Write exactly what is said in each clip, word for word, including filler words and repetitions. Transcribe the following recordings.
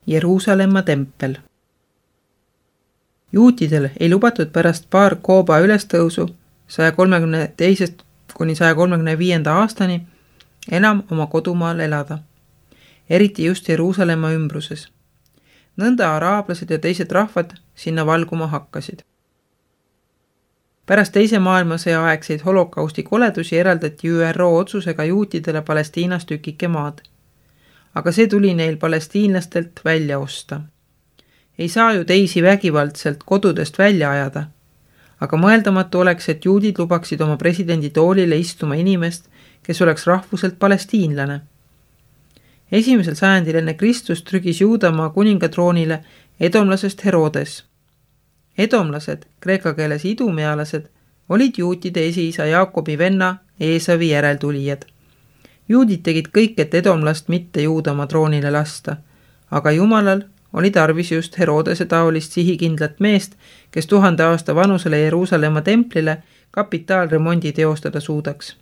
Jeruusalemma tempel. Juutidel ei lubatud pärast paar Kooba ülestõusu saja kolmekümne teisest kuni saja kolmekümne viienda aastani enam oma kodumaal elada, eriti just Jeruusalemma ümbruses. Nõnda araablased ja teised rahvad sinna valguma hakkasid. Pärast teise maailmasõja aegseid holokausti koledusi eraldati Ü R O otsusega juutidele Palestiinas tükike maad. Aga see tuli neil palestiinlastelt välja osta. Ei saa ju teisi vägivaldselt kodudest välja ajada, aga mõeldamatu oleks, et juudid lubaksid oma presidendi toolile istuma inimest, kes oleks rahvuselt palestiinlane. Esimesel sajandil enne Kristust trügis Juudamaa kuningatroonile edomlasest Herodes. Edomlased, kreeka keeles idumealased, olid juutide esiisa Jaakobi venna Eesavi järeltulijad. Juudid tegid kõik, et edomlast mitte Juudamaa troonile lasta, aga Jumalal oli tarvis just Herodese taolist sihikindlat meest, kes tuhande aasta vanusele Jeruusalemma templile kapitaalremondi teostada suudaks.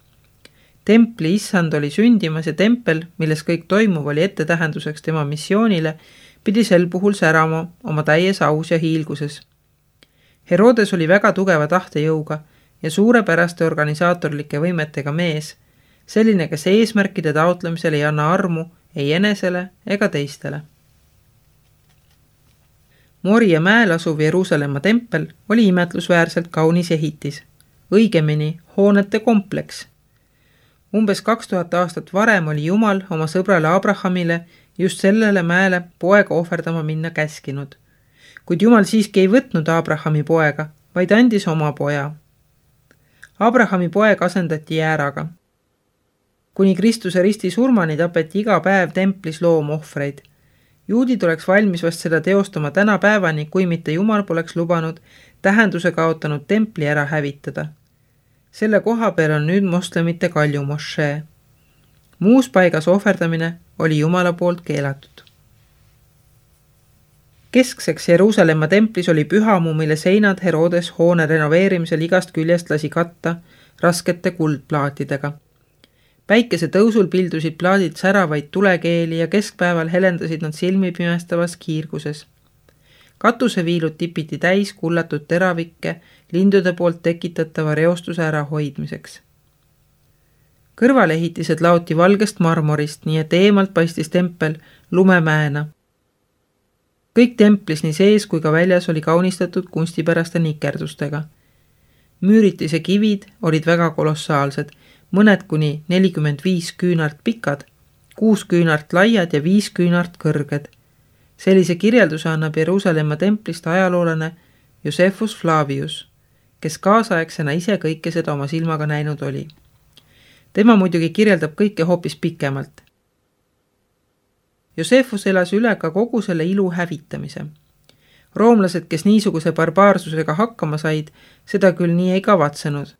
Templi issand oli sündimas ja tempel, milles kõik toimuv oli ettetähenduseks tema missioonile, pidi sel puhul särama oma täies aus ja hiilguses. Herodes oli väga tugeva tahtejõuga ja suurepäraste organisaatorlike võimetega mees, selline, kes eesmärkide taotlemisel ei anna armu ei enesele ega teistele. Moria mäel asuv Jeruusalemma tempel oli imetlusväärselt kaunis ehitis, õigemini hoonete kompleks. Umbes kaks tuhat aastat varem oli Jumal oma sõbrale Abrahamile just sellele mäele poega ohverdama minna käskinud. Kuid Jumal siiski ei võtnud Abrahami poega, vaid andis oma poja. Abrahami poeg asendati jääraga. Kuni Kristuse risti surmani tapeti iga päev templis loomohvreid. Juudid oleks valmis vast seda teostama täna päevani, kui mitte Jumal poleks lubanud tähenduse kaotanud templi ära hävitada. Selle koha peal on nüüd moslemite kalju mošee. Muus paigas ohverdamine oli Jumala poolt keelatud. Keskseks Jeruusalemma templis oli pühamu, mille seinad Herodes hoone renoveerimisel igast küljest lasi katta raskete kuldplaatidega. Päikese tõusul pildusid plaadid säravaid tulekeeli ja keskpäeval helendasid nad silmi pimestavas kiirguses. Katuseviilud tipiti täis kullatud teravikke lindude poolt tekitatava reostuse ära hoidmiseks. Kõrvalehitised laoti valgest marmorist, nii et eemalt paistis tempel lumemäena. Kõik templis nii sees kui ka väljas oli kaunistatud kunstipäraste nikerdustega. Müüritise kivid olid väga kolossaalsed, mõned kuni nelikümmend viis küünart pikad, kuus küünart laiad ja viis küünart kõrged. Sellise kirjelduse annab Jeruusalemma templist ajaloolane Josephus Flavius, kes kaasaegsena ise kõike seda oma silmaga näinud oli. Tema muidugi kirjeldab kõike hoopis pikemalt. Josephus elas üle ka kogu selle ilu hävitamise. Roomlased, kes niisuguse barbaarsusega hakkama said, seda küll nii ei kavatsenud.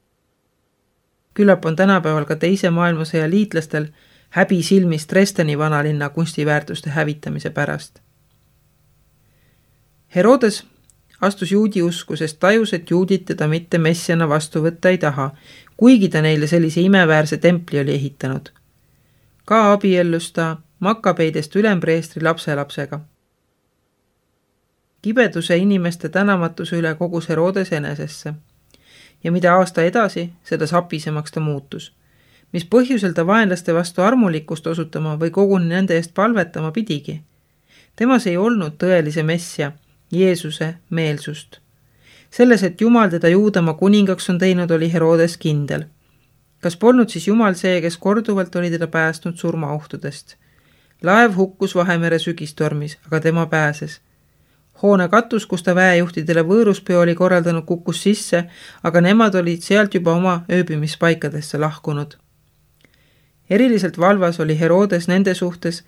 Küllap on tänapäeval ka teise maailmasõja liitlastel häbi silmis Dresdeni vanalinna kunstiväärtuste hävitamise pärast. Herodes astus juudi usku, sest tajus, et juudid teda mitte messiana vastu võtta ei taha, kuigi ta neile sellise imeväärse templi oli ehitanud. Ka abiellus ta Makabeidest ülempreestri lapselapsega. Kibeduse inimeste tänamatuse üle kogus Herodes enesesse. Ja mida aasta edasi, seda sapisemaks ta muutus. Mis põhjusel ta vaenlaste vastu armulikkust osutama või koguni nende eest palvetama pidigi. Temas ei olnud tõelise messia, Jeesuse meelsust. Selles, et Jumal teda Juudamaa kuningaks on teinud, oli Herodes kindel. Kas polnud siis Jumal see, kes korduvalt oli teda päästnud surmaohtudest? Laev hukkus Vahemere sügistormis, aga tema pääses. Hoone katus, kus ta väejuhtidele võõruspeo oli korraldanud, kukkus sisse, aga nemad olid sealt juba oma ööbimispaikadesse lahkunud. Eriliselt valvas oli Herodes nende suhtes,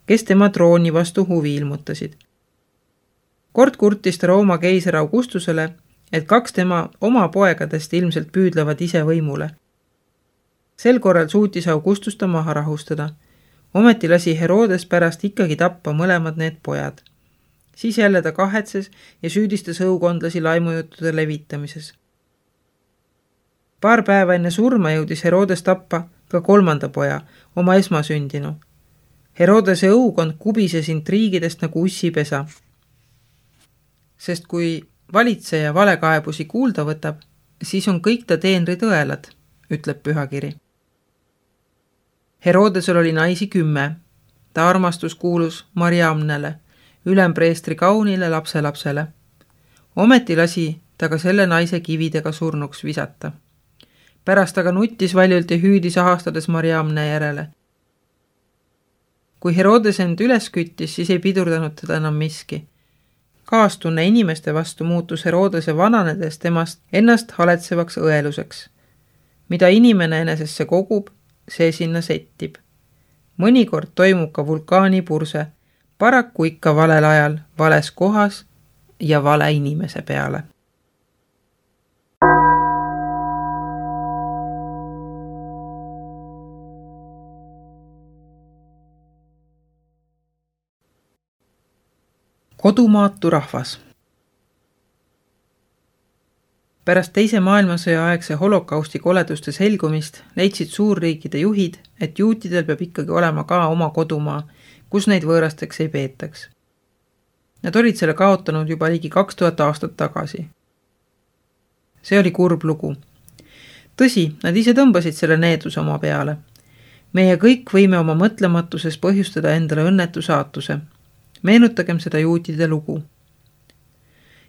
kes tema trooni vastu huvi ilmutasid. Kord kurtis ta Rooma keiser Augustusele, et kaks tema oma poegadest ilmselt püüdlevad ise võimule. Sel korral suutis Augustus ta maha rahustada. Ometi lasi Herodes pärast ikkagi tappa mõlemad need pojad. Siis jälle ta kahetses ja süüdistas õukondlasi laimujuttude levitamises. Paar päeva enne surma jõudis Herodes tappa ka kolmanda poja, oma esmasündinu. Herodese õukond kubises intriigidest nagu ussipesa. Sest kui valitseja valekaebusi kuulda võtab, siis on kõik ta teenrid õelad, ütleb pühakiri. Herodesel oli naisi kümme. Ta armastus kuulus Mariamnele, ülempreestri kaunile lapselapsele. Ometi lasi ta ka selle naise kividega surnuks visata. Pärast aga nuttis valjult ja hüüdis ahastades Mariamne järele. Kui Herodes end üles küttis, siis ei pidurdanud teda enam miski. Kaastunne inimeste vastu muutus Herodese vananedes temast ennast haletsevaks õeluseks. Mida inimene enesesse kogub, see sinna settib. Mõnikord toimub ka vulkaanipurse, paraku ikka valel ajal, vales kohas ja vale inimese peale. Kodumaatu rahvas. Pärast teise maailmasõja aegse holokausti koleduste selgumist leidsid suurriikide juhid, et juutidel peab ikkagi olema ka oma kodumaa, kus neid võõrasteks ei peetaks. Nad olid selle kaotanud juba ligi kaks tuhat aastat tagasi. See oli kurb lugu. Tõsi, nad ise tõmbasid selle needuse oma peale. Meie kõik võime oma mõtlematuses põhjustada endale õnnetu saatuse. Meenutagem seda juutide lugu.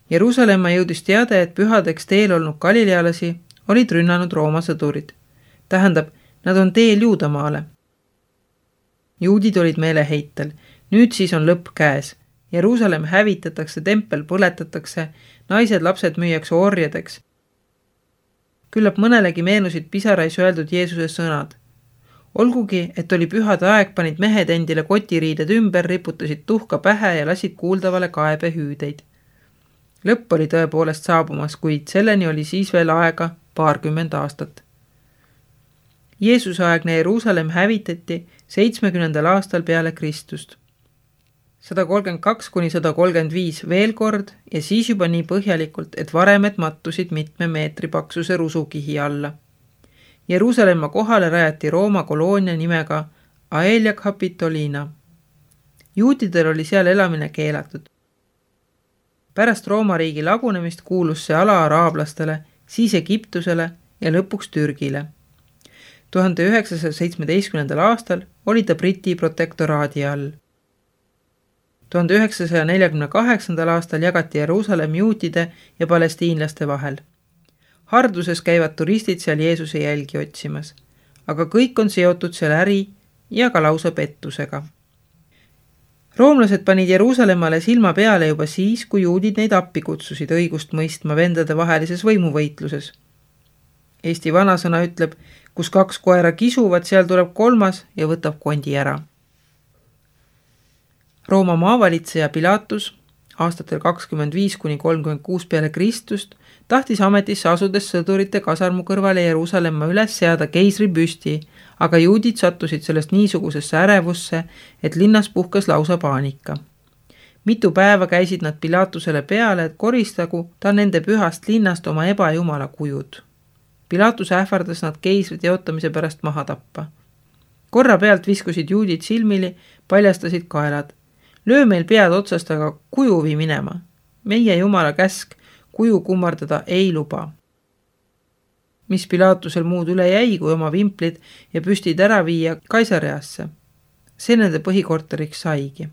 Jeruusalemma jõudis teade, et pühadeks teel olnud galilealasi olid rünnanud Rooma sõdurid. Tähendab, nad on teel Juudamaale. Juudid olid meeleheitel. Nüüd siis on lõpp käes. Jeruusalemm hävitatakse, tempel põletatakse, naised, lapsed müüakse orjadeks. Küllap mõnelegi meenusid pisarais öeldud Jeesuse sõnad. Olgugi, et oli pühade aeg, panid mehed endile kotiriided ümber, riputasid tuhka pähe ja lasid kuuldavale kaebe hüüdeid. Lõpp oli tõepoolest saabumas, kuid selleni oli siis veel aega paarkümmend aastat. Jeesuse aegne Jeruusalemm hävitati seitsmekümnendal aastal peale Kristust. sada kolmkümmend kaks kuni sada kolmkümmend viis veel kord ja siis juba nii põhjalikult, et varemed mattusid mitme meetri paksuse rusukihi alla. Jeruusalemma kohale rajati Rooma koloonia nimega Aelia Capitolina. Juutidel oli seal elamine keelatud. Pärast Rooma riigi lagunemist kuulus see ala araablastele, siis Egiptusele ja lõpuks Türgile. tuhande üheksasaja seitsmeteistkümnendal aastal oli ta Briti protektoraadi all. tuhande üheksasaja neljakümne kaheksandal aastal jagati Jeruusalemm juutide ja palestiinlaste vahel. Harduses käivad turistid seal Jeesuse jälgi otsimas, aga kõik on seotud seal äri ja ka lausa pettusega. Roomlased panid Jeruusalemmale silma peale juba siis, kui juudid neid appi kutsusid õigust mõistma vendade vahelises võimuvõitluses. Eesti vanasõna ütleb, kus kaks koera kisuvad, seal tuleb kolmas ja võtab kondi ära. Rooma maavalitseja Pilatus aastatel kakskümmend viis kuni kolmkümmend kuus peale Kristust tahtis ametisse asudes sõdurite kasarmu kõrvale Jeruusalemma üles seada keisri püsti, aga juudid sattusid sellest niisugusesse ärevusse, et linnas puhkes lausa paanika. Mitu päeva käisid nad Pilatusele peale, et koristagu ta nende pühast linnast oma ebajumala kujud. Pilatus ähvardas nad keisri teotamise pärast maha tappa. Korra pealt viskusid juudid silmili, paljastasid kaelad. Löö meil pead otsast, aga kuju vii minema. Meie jumala käsk kuju kummardada ei luba. Mis Pilatusel muud üle jäi, kui oma vimplid ja püstid ära viia Kaisareasse. See nende põhikorteriks saigi.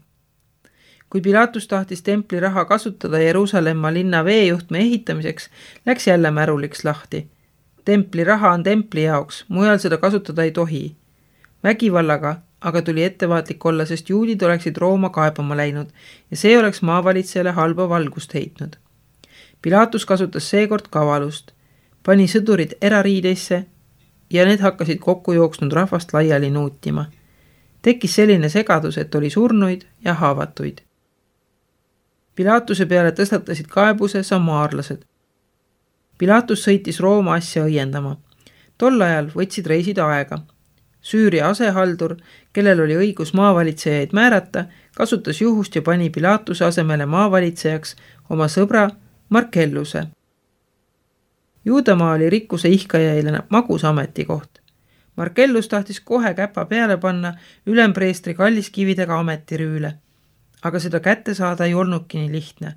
Kui Pilatus tahtis templi raha kasutada Jeruusalemma linna veejuhtme ehitamiseks, läks jälle märuliks lahti. Templi raha on templi jaoks, mujal seda kasutada ei tohi. Vägivallaga aga tuli ettevaatlik olla, sest juudid oleksid Rooma kaebama läinud ja see oleks maavalitsejale halba valgust heitnud. Pilatus kasutas seekord kavalust, pani sõdurid erariideisse ja need hakkasid kokku jooksnud rahvast laiali nuutima. Tekkis selline segadus, et oli surnuid ja haavatuid. Pilatuse peale tõstatasid kaebuse samaarlased. Pilatus sõitis Rooma asja õiendama. Tol ajal võtsid reisid aega. Süüria asehaldur, kellel oli õigus maavalitsejaid määrata, kasutas juhust ja pani Pilatuse asemele maavalitsejaks oma sõbra Markelluse. Juudamaa oli rikkuse ihkajaile magus ametikoht. Markellus tahtis kohe käpa peale panna ülempreestri kalliskividega ametirüüle. Aga seda kätte saada ei olnudki nii lihtne.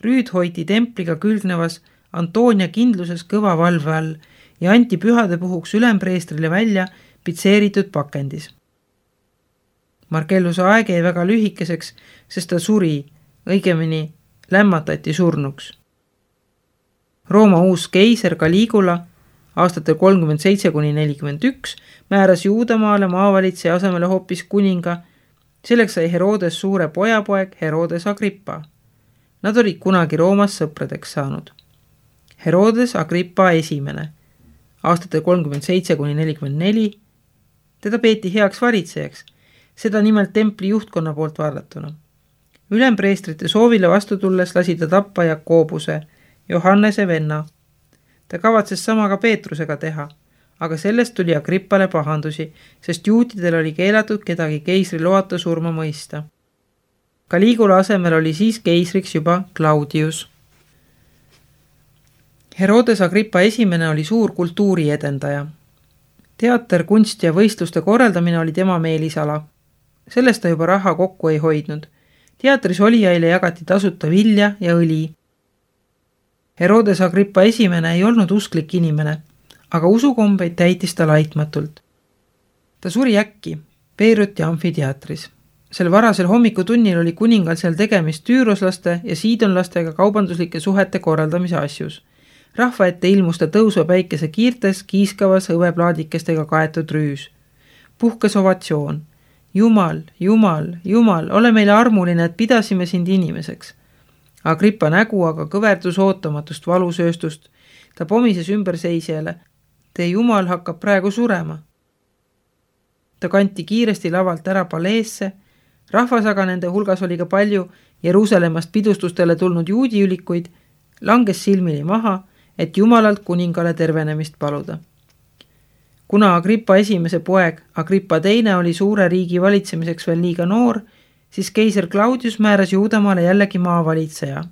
Rüüd hoiti templiga külgnevas Antonia kindluses kõva valve all ja anti pühade puhuks ülempreestrile välja pitseeritud pakendis. Markelluse aeg jäi väga lühikeseks, sest ta suri, õigemini lämmatati surnuks. Rooma uus keiser Caligula aastatel kolmkümmend seitse kuni nelikümmend üks määras Juudamaale maavalitseja asemele hoopis kuninga. Selleks sai Herodes suure pojapoeg Herodes Agrippa. Nad olid kunagi Roomas sõpradeks saanud. Herodes Agrippa esimene aastatel kolmkümmend seitse kuni nelikümmend neli. Teda peeti heaks varitsejaks, seda nimelt templi juhtkonna poolt vaadatuna. Ülempreestrite soovile vastu tulles lasi ta tappa Jakobuse, Johannese venna. Ta kavatses sama ka Peetrusega teha, aga sellest tuli Agrippale pahandusi, sest juutidel oli keelatud kedagi keisri loata surma mõista. Caligula asemel oli siis keisriks juba Claudius. Herodes Agrippa esimene oli suur kultuuri edendaja. Teater, kunst ja võistluste korraldamine oli tema meelisala. Sellest ta juba raha kokku ei hoidnud. Teatris olijaile jagati tasuta vilja ja õli. Herodes Agrippa esimene ei olnud usklik inimene, aga usukombeid täitis ta laitmatult. Ta suri äkki Beiruti amfiteatris. Sel varasel hommikutunnil oli kuningal seal tegemist tüüroslaste ja siidonlastega kaubanduslike suhete korraldamise asjus. Rahva ette ilmus ta tõusva päikese kiirtes kiiskavas õveplaadikestega kaetud rüüs. Puhkes ovatsioon. Jumal, Jumal, Jumal, ole meile armuline, et pidasime sind inimeseks. Agrippa nägu aga kõverdus ootamatust valusööstust. Ta pomises ümber seisjale. Tee Jumal hakkab praegu surema. Ta kanti kiiresti lavalt ära paleesse. Rahvas aga nende hulgas oli ka palju Jeruusalemmast pidustustele tulnud juudiülikuid, langes silmini maha, et Jumalalt kuningale tervenemist paluda. Kuna Agrippa esimese poeg Agrippa teine oli suure riigi valitsemiseks veel liiga noor, siis keiser Claudius määras Juudamaale jällegi maavalitseja.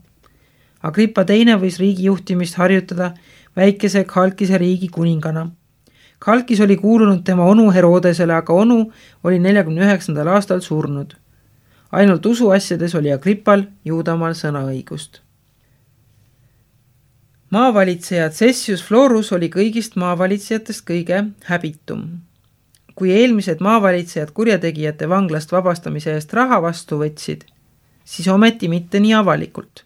Agrippa teine võis riigi juhtimist harjutada väikese Khalkise riigi kuningana. Khalkis oli kuulunud tema onu Herodesele, aga onu oli neljakümne üheksandal aastal surnud. Ainult usuasjades oli Agrippal Juudamaal sõnaõigust. Maavalitseja Cessius Florus oli kõigist maavalitsejatest kõige häbitum. Kui eelmised maavalitsejad kurjategijate vanglast vabastamise eest raha vastu võtsid, siis ometi mitte nii avalikult.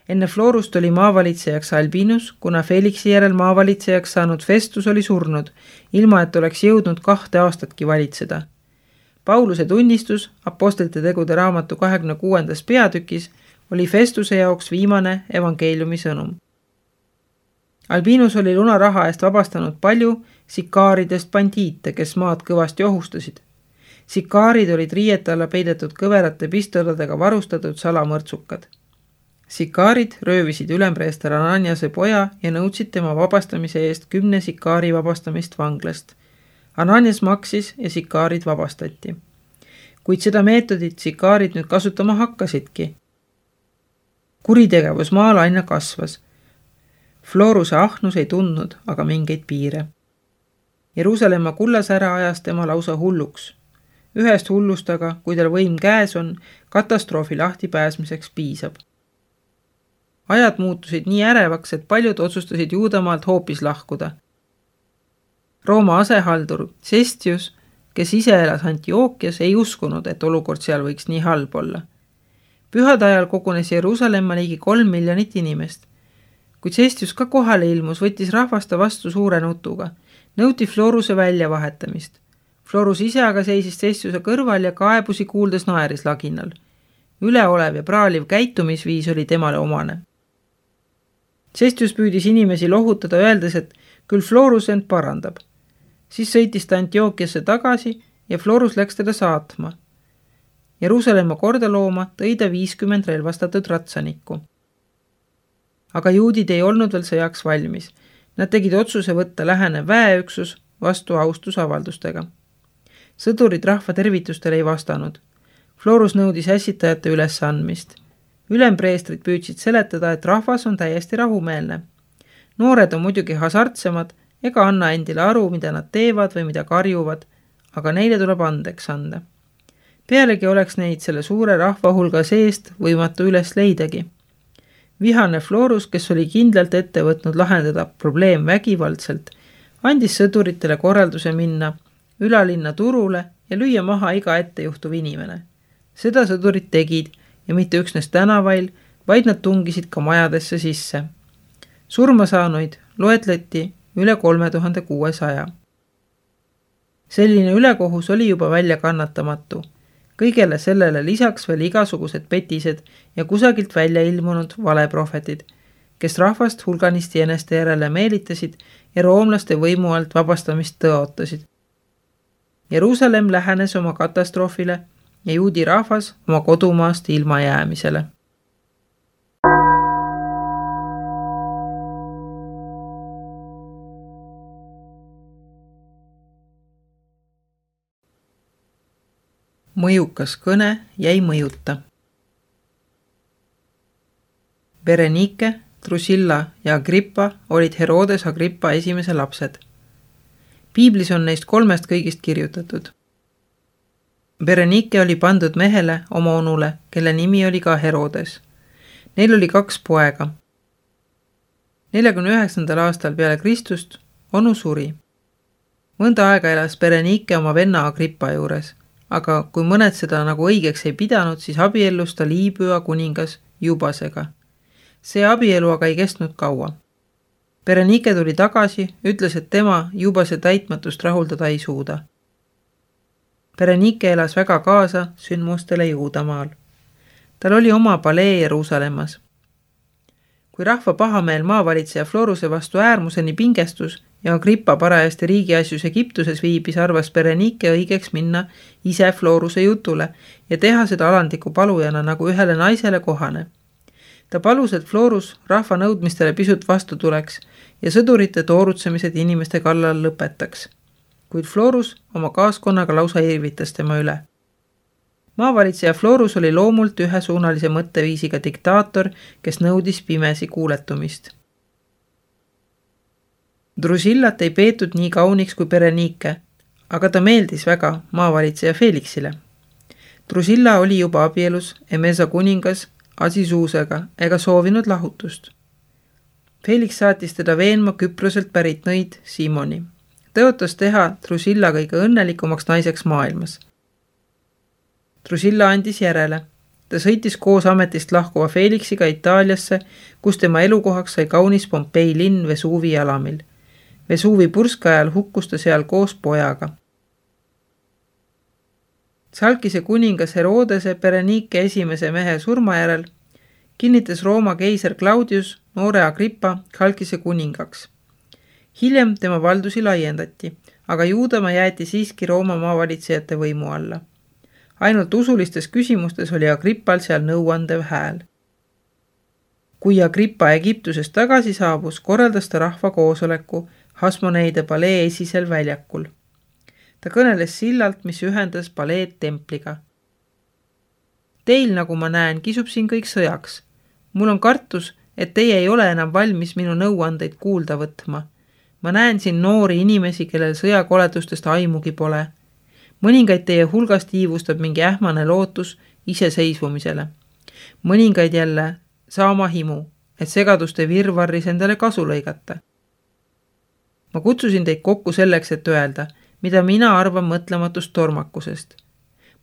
Enne Florust oli maavalitsejaks Albinus, kuna Felixi järel maavalitsejaks saanud Festus oli surnud, ilma et oleks jõudnud kahte aastatki valitseda. Pauluse tunnistus apostlite tegude raamatu kahekümne kuuendas peatükis oli Festuse jaoks viimane evangeeliumi sõnum. Albinus oli lunaraha eest vabastanud palju sikaaridest bandiite, kes maad kõvasti ohustasid. Sikaarid olid riiete alla peidetud kõverate pistoladega varustatud salamõrtsukad. Sikaarid röövisid ülempreester Ananiase poja ja nõudsid tema vabastamise eest kümne sikaari vabastamist vanglast. Ananias maksis ja sikaarid vabastati. Kuid seda meetodit sikaarid nüüd kasutama hakkasidki. Kuritegevus maal aina kasvas. Floruse ahnus ei tundnud aga mingeid piire. Jeruusalemma kullasära ajas tema lausa hulluks. Ühest hullust aga, kui tal võim käes on, katastroofi lahti pääsmiseks piisab. Ajad muutusid nii ärevaks, et paljud otsustasid Juudamaalt hoopis lahkuda. Rooma asehaldur Cestius, kes ise elas Antiookias, ei uskunud, et olukord seal võiks nii halb olla. Pühade ajal kogunes Jeruusalemma ligi kolm miljonit inimest. Kui Cestius ka kohale ilmus, võttis rahvasta vastu suure nutuga. Nõuti Floruse väljavahetamist. Florus ise aga seisis Cestiuse kõrval ja kaebusi kuuldes naeris laginal. Üleolev ja praaliv käitumisviis oli temale omane. Cestius püüdis inimesi lohutada, öeldes, et küll Florus end parandab. Siis sõitis ta Antiookiasse tagasi ja Florus läks teda saatma. Jeruusalemma korda looma tõi ta viiskümmend relvastatud ratsanikku. Aga juudid ei olnud veel sõjaks valmis. Nad tegid otsuse võtta lähene väeüksus vastu austusavaldustega. Sõdurid rahva tervitustele ei vastanud. Florus nõudis ässitajate ülesandmist. Ülempreestrid püüdsid seletada, et rahvas on täiesti rahumeelne. Noored on muidugi hasartsemad ega anna endile aru, mida nad teevad või mida karjuvad, aga neile tuleb andeks anda. Pealegi oleks neid selle suure rahva hulga seest võimatu üles leidagi. Vihane Florus, kes oli kindlalt ette võtnud lahendada probleem vägivaldselt, andis sõduritele korralduse minna ülalinna turule ja lüüa maha iga ettejuhtuv inimene. Seda sõdurid tegid ja mitte üksnes tänavail, vaid nad tungisid ka majadesse sisse. Surma saanuid loetleti üle kolme tuhande kuuesaja. Selline ülekohus oli juba välja kannatamatu. Kõigele sellele lisaks veel igasugused petised ja kusagilt välja ilmunud valeprohvetid, kes rahvast hulganisti eneste järele meelitasid ja roomlaste võimu alt vabastamist tõotasid. Jeruusalemm lähenes oma katastroofile ja juudi rahvas oma kodumaast ilma jäämisele. Mõjukas kõne jäi mõjuta. Berenike, Drusilla ja Agrippa olid Herodes Agrippa esimese lapsed. Piiblis on neist kolmest kõigist kirjutatud. Berenike oli pandud mehele oma onule, kelle nimi oli ka Herodes. Neil oli kaks poega. neljakümne üheksandal aastal peale Kristust onu suri. Mõnda aega elas Berenike oma venna Agrippa juures, aga kui mõned seda nagu õigeks ei pidanud, siis abiellus ta Liibüa kuningas Jubasega. See abielu aga ei kestnud kaua. Berenike tuli tagasi, ütles, et tema Jubase täitmatust rahuldada ei suuda. Berenike elas väga kaasa sündmustele Juudamaal. Tal oli oma palee Jeruusalemmas. Kui rahva pahameel maavalitseja Floruse vastu äärmuseni pingestus ja Agrippa parajasti riigiasjus Egiptuses viibis, arvas Berenike õigeks minna ise Floruse jutule ja teha seda alandliku palujana nagu ühele naisele kohane. Ta palus, et Florus rahva nõudmistele pisut vastu tuleks ja sõdurite toorutsemised inimeste kallal lõpetaks. Kuid Florus oma kaaskonnaga lausa irvitas tema üle. Maavalitseja Florus oli loomult ühesuunalise mõtteviisiga diktaator, kes nõudis pimesi kuuletumist. Drusillat ei peetud nii kauniks kui Berenike, aga ta meeldis väga maavalitseja Felixile. Drusilla oli juba abielus Emesa kuningas Asisuusega ega soovinud lahutust. Felix saatis teda veenma Küproselt pärit nõid Simoni. Tõotas teha Drusilla kõige õnnelikumaks naiseks maailmas. Drusilla andis järele. Ta sõitis koos ametist lahkuva Felixiga Itaaliasse, kus tema elukohaks sai kaunis Pompei linn Vesuvi jalamil. Vesuvi purska ajal hukkus ta seal koos pojaga. Salkise kuningas Herodese Berenike esimese mehe surma järel kinnitas Rooma keiser Claudius noore Agrippa Salkise kuningaks. Hiljem tema valdusi laiendati, aga Juudamaa jäeti siiski Rooma maavalitsejate võimu alla. Ainult usulistes küsimustes oli Agrippal seal nõuandev hääl. Kui Agrippa Egiptusest tagasi saabus, korraldas ta rahva koosoleku Hasmoneide palee esisel väljakul. Ta kõneles sillalt, mis ühendas paleed templiga. Teil, nagu ma näen, kisub siin kõik sõjaks. Mul on kartus, et teie ei ole enam valmis minu nõuandeid kuulda võtma. Ma näen siin noori inimesi, kellel sõjakoledustest aimugi pole. Mõningaid teie hulgast iivustab mingi ähmane lootus iseseisvumisele. Mõningaid jälle saama himu, et segaduste virvarris endale kasu lõigata. Ma kutsusin teid kokku selleks, et öelda, mida mina arvan mõtlematust tormakusest.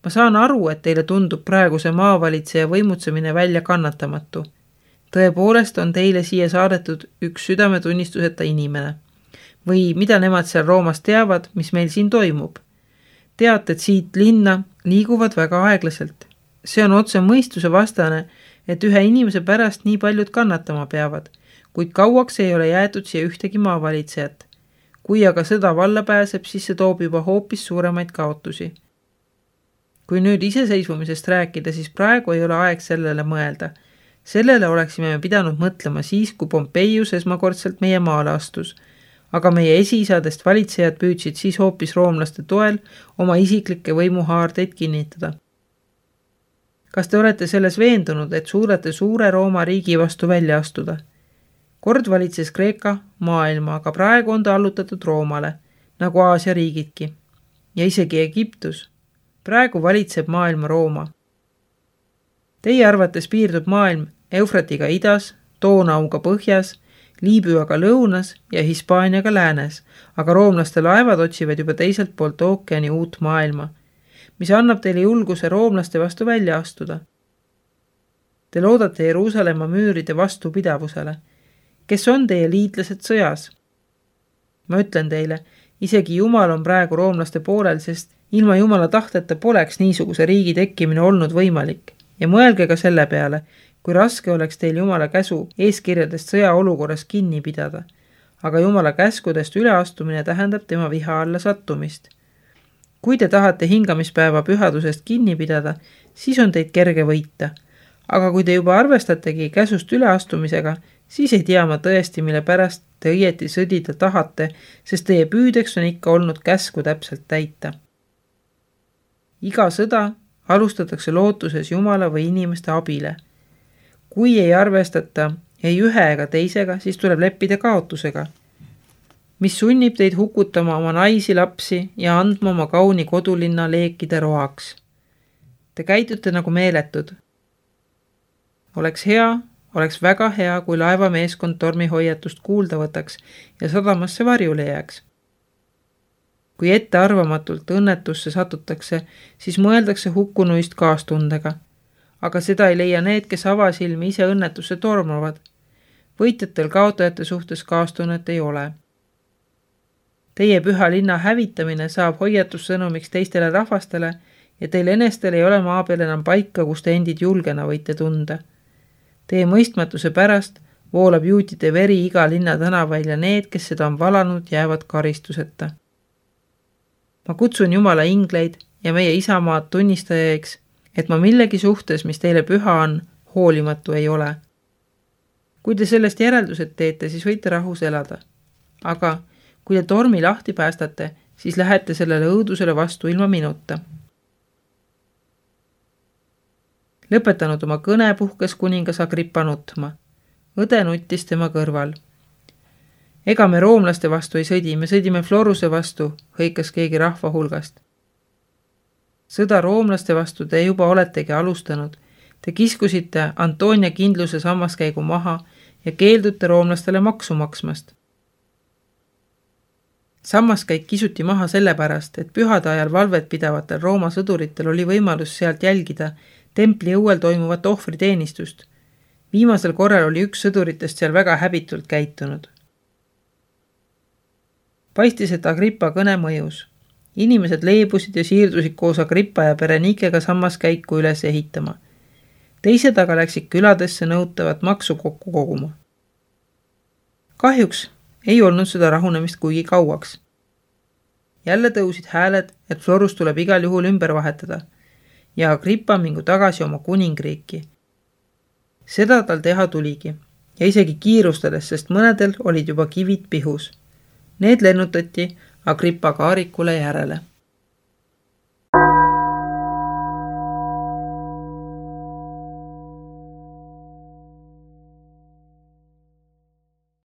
Ma saan aru, et teile tundub praeguse maavalitseja võimutsemine välja kannatamatu. Tõepoolest on teile siia saadetud üks südametunnistuseta inimene. Või mida nemad seal Roomas teavad, mis meil siin toimub. Teate, et siit linna liiguvad väga aeglaselt. See on otse mõistuse vastane, et ühe inimese pärast nii paljud kannatama peavad, kuid kauaks ei ole jäetud siia ühtegi maavalitsejat. Kui aga sõda valla pääseb, siis see toob juba hoopis suuremaid kaotusi. Kui nüüd iseseisvumisest rääkida, siis praegu ei ole aeg sellele mõelda. Sellele oleksime me pidanud mõtlema siis, kui Pompeius esmakordselt meie maale astus, aga meie esiisadest valitsejad püüdsid siis hoopis roomlaste toel oma isiklikke võimuhaardeid kinnitada. Kas te olete selles veendunud, et suudate suure Rooma riigi vastu välja astuda? Kord valitses Kreeka maailma, aga praegu on ta allutatud Roomale, nagu Aasia riigidki. Ja isegi Egiptus. Praegu valitseb maailma Rooma. Teie arvates piirdub maailm Eufratiga idas, Doonauga põhjas, Liibüaga lõunas ja Hispaaniaga läänes, aga roomlaste laevad otsivad juba teiselt poolt ookeani uut maailma, mis annab teile julguse roomlaste vastu välja astuda. Te loodate Jeruusalemma müüride vastupidavusele. Kes on teie liitlased sõjas? Ma ütlen teile, isegi Jumal on praegu roomlaste poolel, sest ilma Jumala tahteta poleks niisuguse riigi tekkimine olnud võimalik. Ja mõelge ka selle peale, kui raske oleks teil Jumala käsu eeskirjadest sõjaolukorras kinni pidada, aga Jumala käskudest üleastumine tähendab tema viha alla sattumist. Kui te tahate hingamispäeva pühadusest kinni pidada, siis on teid kerge võita, aga kui te juba arvestategi käsust üleastumisega, siis ei tea ma tõesti, mille pärast te õieti sõdida tahate, sest teie püüdeks on ikka olnud käsku täpselt täita. Iga sõda alustatakse lootuses Jumala või inimeste abile. Kui ei arvestata ei ühe ega teisega, siis tuleb leppida kaotusega, mis sunnib teid hukutama oma naisi, lapsi ja andma oma kauni kodulinna leekide roaks. Te käitute nagu meeletud. Oleks hea, oleks väga hea, kui laevameeskond tormihoiatust kuulda võtaks ja sadamasse varjule jääks. Kui ettearvamatult õnnetusse satutakse, siis mõeldakse hukkunuist kaastundega. Aga seda ei leia need, kes avasilmi ise õnnetusse tormavad. Võitjatel kaotajate suhtes kaastunnet ei ole. Teie püha linna hävitamine saab hoiatussõnumiks teistele rahvastele ja teil enestel ei ole maa peal enam paika, kus te endid julgena võite tunda. Teie mõistmatuse pärast voolab juutide veri iga linna tänavail ja need, kes seda on valanud, jäävad karistuseta. Ma kutsun Jumala ingleid ja meie isamaad tunnistajaiks, et ma millegi suhtes, mis teile püha on, hoolimatu ei ole. Kui te sellest järeldused teete, siis võite rahus elada. Aga kui te tormi lahti päästate, siis lähete sellele õudusele vastu ilma minuta. Lõpetanud oma kõne puhkes kuningas Agrippa nutma. Õde nuttis tema kõrval. Ega me roomlaste vastu ei sõdi, me sõdime Floruse vastu, hõikas keegi rahva hulgast. Sõda roomlaste vastu te juba oletegi alustanud. Te kiskusite Antonia kindluse sammaskäigu maha ja keeldute roomlastele maksu maksmast. Sammaskäik kisuti maha sellepärast, et pühade ajal valvet pidavatel Rooma sõduritel oli võimalus sealt jälgida templi õuel toimuvat ohvriteenistust. Viimasel korral oli üks sõduritest seal väga häbitult käitunud. Paistis, et Agrippa kõne mõjus. Inimesed leebusid ja siirdusid koos Agrippa ja Berenikega sammaskäiku üles ehitama. Teised aga läksid küladesse nõutavat maksu kokku koguma. Kahjuks ei olnud seda rahunemist kuigi kauaks. Jälle tõusid hääled, et Florus tuleb igal juhul ümber vahetada ja Agrippa mingu tagasi oma kuningriiki. Seda tal teha tuligi ja isegi kiirustades, sest mõnedel olid juba kivid pihus. Need lennutati Agrippa kaarikule järele.